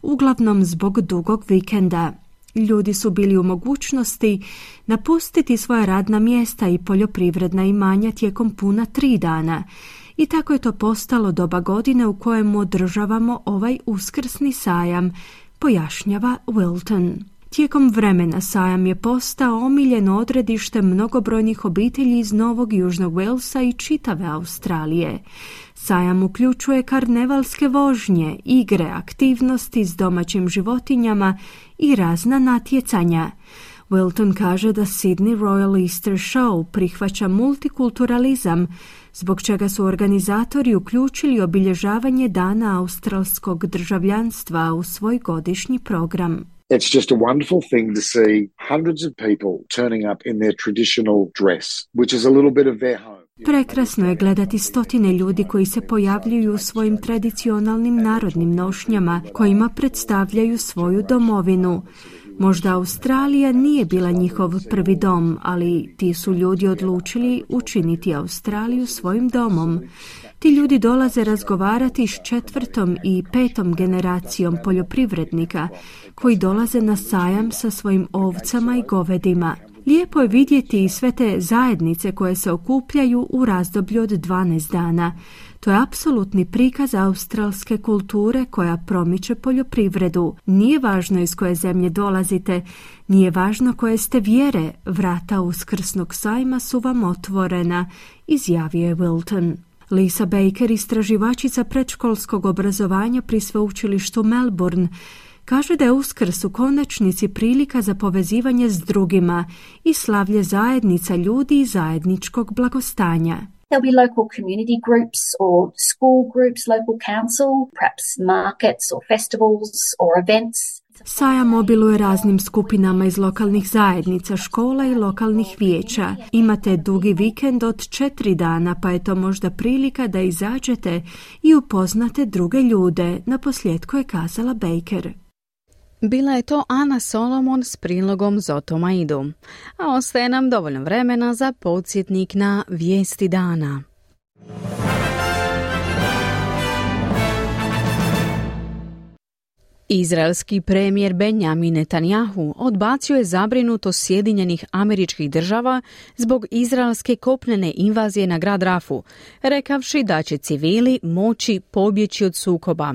uglavnom zbog dugog vikenda. Ljudi su bili u mogućnosti napustiti svoja radna mjesta i poljoprivredna imanja tijekom puna tri dana. I tako je to postalo doba godine u kojemu održavamo ovaj uskrsni sajam, pojašnjava Wilton. Tijekom vremena sajam je postao omiljeno odredište mnogobrojnih obitelji iz Novog Južnog Walesa i čitave Australije. Sajam uključuje karnevalske vožnje, igre, aktivnosti s domaćim životinjama i razna natjecanja. Wilton kaže da Sydney Royal Easter Show prihvaća multikulturalizam, zbog čega su organizatori uključili obilježavanje Dana australskog državljanstva u svoj godišnji program. It's just a wonderful thing to see hundreds of people turning up in their traditional dress, which is a little bit of their home. Prekrasno je gledati stotine ljudi koji se pojavljuju u svojim tradicionalnim narodnim nošnjama, kojima predstavljaju svoju domovinu. Možda Australija nije bila njihov prvi dom, ali ti su ljudi odlučili učiniti Australiju svojim domom. Ti ljudi dolaze razgovarati s četvrtom i petom generacijom poljoprivrednika koji dolaze na sajam sa svojim ovcama i govedima. Lijepo je vidjeti i sve te zajednice koje se okupljaju u razdoblju od dvanaest dana. To je apsolutni prikaz australske kulture koja promiče poljoprivredu. Nije važno iz koje zemlje dolazite, nije važno koje ste vjere, vrata uskrsnog sajma su vam otvorena, izjavio je Wilton. Lisa Baker, istraživačica predškolskog obrazovanja pri sveučilištu Melbourne, kaže da je Uskrs u konačnici prilika za povezivanje s drugima i slavlje zajednica ljudi i zajedničkog blagostanja. There'll be local community groups or school groups, local council, perhaps markets or festivals or events. Sajam obiluje raznim skupinama iz lokalnih zajednica, škola i lokalnih vijeća. Imate dugi vikend od četiri dana, pa je to možda prilika da izađete i upoznate druge ljude, naposljetku je kazala Baker. Bila je to Ana Solomon s prilogom Zotomaidu, a ostaje nam dovoljno vremena za podsjetnik na vijesti dana. Izraelski premijer Benjamin Netanjahu odbacio je zabrinutost Sjedinjenih Američkih Država zbog izraelske kopnene invazije na grad Rafu, rekavši da će civili moći pobjeći od sukoba.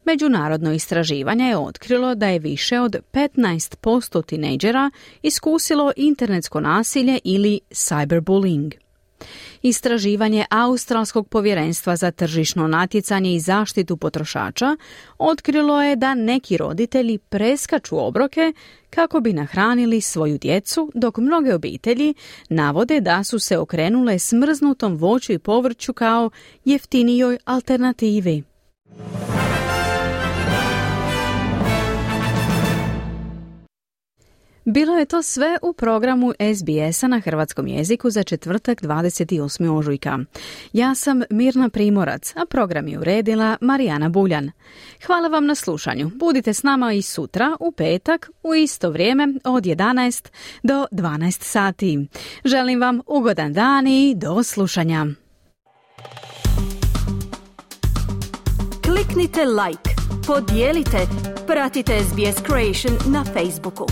Međunarodno istraživanje je otkrilo da je više od petnaest posto tinejdžera iskusilo internetsko nasilje ili cyberbullying. Istraživanje Australskog povjerenstva za tržišno natjecanje i zaštitu potrošača otkrilo je da neki roditelji preskaču obroke kako bi nahranili svoju djecu, dok mnoge obitelji navode da su se okrenule smrznutom voću i povrću kao jeftinijoj alternativi. Bilo je to sve u programu S B S-a na hrvatskom jeziku za četvrtak dvadeset osmog ožujka. Ja sam Mirna Primorac, a program je uredila Marijana Buljan. Hvala vam na slušanju. Budite s nama i sutra u petak u isto vrijeme od jedanaest do dvanaest sati. Želim vam ugodan dan i do slušanja. Kliknite like, podijelite, pratite S B S Creation na Facebooku.